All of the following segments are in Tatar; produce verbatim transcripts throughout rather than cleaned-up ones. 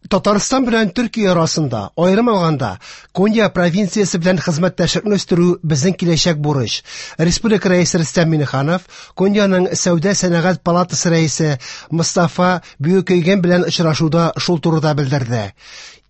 Татарстан белән Төркия арасында, аерым алганда, Конья провинциясе белән хезмәттәшлекне үстерү безнең киләчәк бурыч. Республика Рәисе Рөстәм Миңнеханов Коньяның Сәүдә-сәнәгать палатасы рәисе Мостафа Бүйүкөйгән белән очрашуда шул турыда белдерде.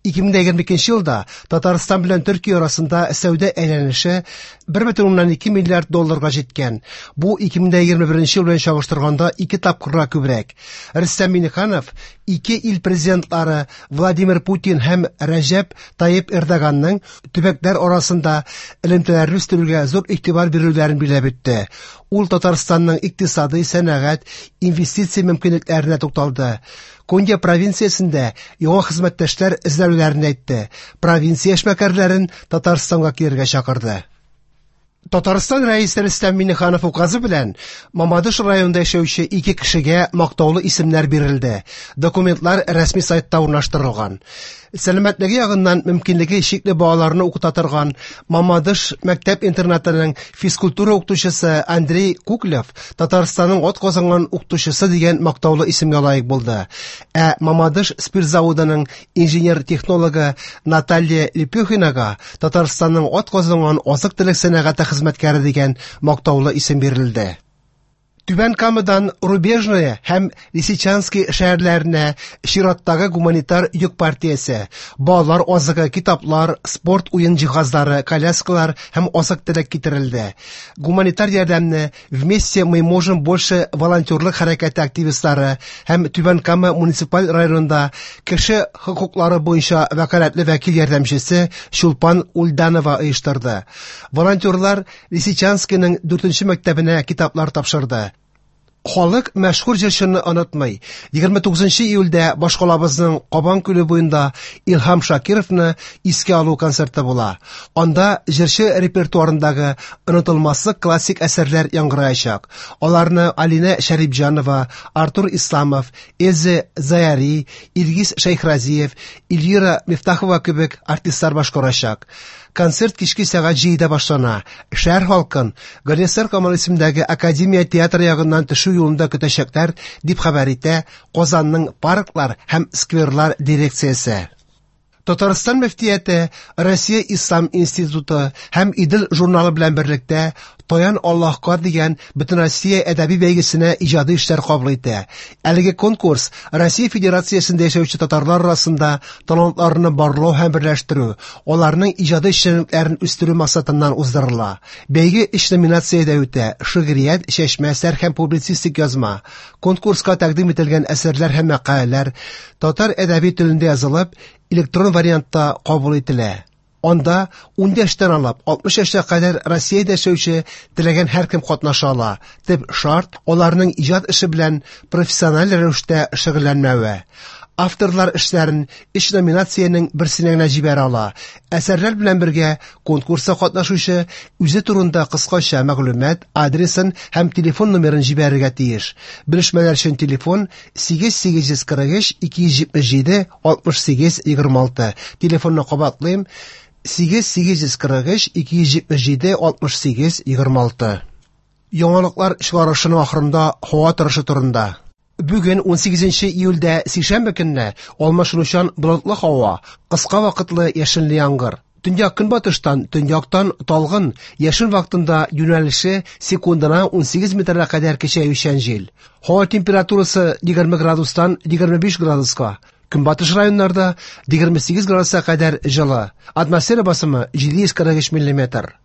ике мең егерме икенче елда Татарстан белән Төркия арасында сәүдә әйләнеше бер бөтен уннан ике миллиард долларга җиткән. Бу ике мең егерме беренче ел белән чагыштырганда ике тапкырга күбрәк. Рөстәм Миңнеханов ике ил президентлары Владимир Путин һәм Рәҗәп Тайип Эрдоганның төбәкләр арасында элемтәләрне үстерүгә зур игътибар бирүләрен билгеләп үтте. Ул Татарстанның икътисадый, сәнәгать, инвестиция мөмкинлекләренә тукталды. Конья провинциясендә яңа хезмәттәшләр эзләүләрен әйтте. Провинция эшмәкәрләрен Татарстанга килергә чакырды. Татарстан Рәисе Рөстәм Миңнеханов указы белән Мамадыш районында яшәүче ике кешегә мактаулы исемнәр бирелде. Документлар рәсми сайтта урнаштырылган. Сәламәтлеге ягыннан мөмкинлеге чикле балаларны укыта торган Мамадыш мәктәп интернатының физкультура укытучысы Андрей Куклев Татарстанның атказанган укытучысы дигән мактаулы исемгә лаек булды. Ә Мамадыш спирт заводының инженер-технологы Наталья Лепехинага Татарстанның атказанган азык-төлек сәнәгате хезмәткәре дигән мактаулы исем бирелде. Түбән Камадан Рубежное һәм Лисичанский шәһәрләренә чираттагы гуманитар йөк партиясе, балалар азыгы, китаплар, спорт уен җиһазлары, коляскалар һәм азык-төлек китерелде. Гуманитар ярдәмне Вместе мы можем больше волонтерлык хәрәкәте активистлары һәм Түбән Кама муниципаль районында кеше хокуклары буенча вәкаләтле вәкил ярдәмчесе Чулпан Ульданова оештырды. Волонтерлар Лисичанскийның дүртенче мәктәбенә китаплар тапшырды. Халык мәшһүр җырчыны онытмый. Егерме тугызынчы июльдә башкалабызның Кабан күле буенда Илһам Шакировны искә алу концерты була. Анда җырчы репертуарындагы онытылмаслык классик әсәрләр яңгыраячак. Аларны Алинә Шәрипҗанова, Артур Исламов, Эльза Заяри, Илгиз Шәйхразиев, Эльвира Мифтахова кебек артистлар башкарачак. Концерт кичке сәгать җидедә башлана. Шәһәр халкын Галиәсгар Камал исемендәге Академия театры ягыннан төшү юлында көтәчәкләр, дип хәбәр итә Казанның парклар һәм скверлар дирекциясе. Татарстан мөфтияте Россия Ислам институты һәм Идел журналы белән берлектә Таян Аллаһка дигән Бөтенроссия әдәби бәйгесенә иҗади эшләр кабул итә. Әлеге конкурс Россия Федерациясендә яшәүче татарлар арасында талантларны барлау һәм берләштерү, аларның иҗади эшчәнлекләрен үстерү максатыннан уздырыла. Бәйге өч номинациядә үтә: шигърият, чәчмә әсәр һәм публицистик язма. Конкурска тәкъдим ителгән әсәрләр һәм мәкаләләр татар әдәби телендә язылып, электрон вариантта кабул ителә. Анда ун яшьтән алып алтмыш яшькә кадәр Россиядә яшәүче теләгән һәркем катнаша ала. Төп шарт аларның иҗат эше белән профессиональ рәвештә шөгыльләнмәве. Авторлар эшләрен өч номинациянең берсенә генә җибәрә ала. Әсәрләр белән бергә конкурста катнашучы үзе турында кыскача мәгълүмат, адресын һәм телефон номерын җибәрергә тиеш. Белешмәләр өчен телефон сигез сигез йөз кырык өч ике йөз җитмеш җиде алтмыш сигез егерме алты. Телефонны кабатлыйм: сигез сигез йөз кырык өч ике йөз җитмеш җиде алтмыш сигез егерме алты. Яңалыклар чыгарышының ахырында һава торышы турында. Бүген ун сигезенче июльдә сишәмбе көнне алмашынучан болытлы һава, кыска вакытлы яшенле яңгыр. Төньяк көнбатыштан, төньяктан талгын, яшен вакытында юнәлеше секундына ун сигез метрга кадәр көчәючән җил. Һава температурасы егерме градустан егерме биш градуска. Көнбатыш районнарда егерме сигез градуска кадәр җылы. Атмосфера басымы җиде йөз кырык өч миллиметр.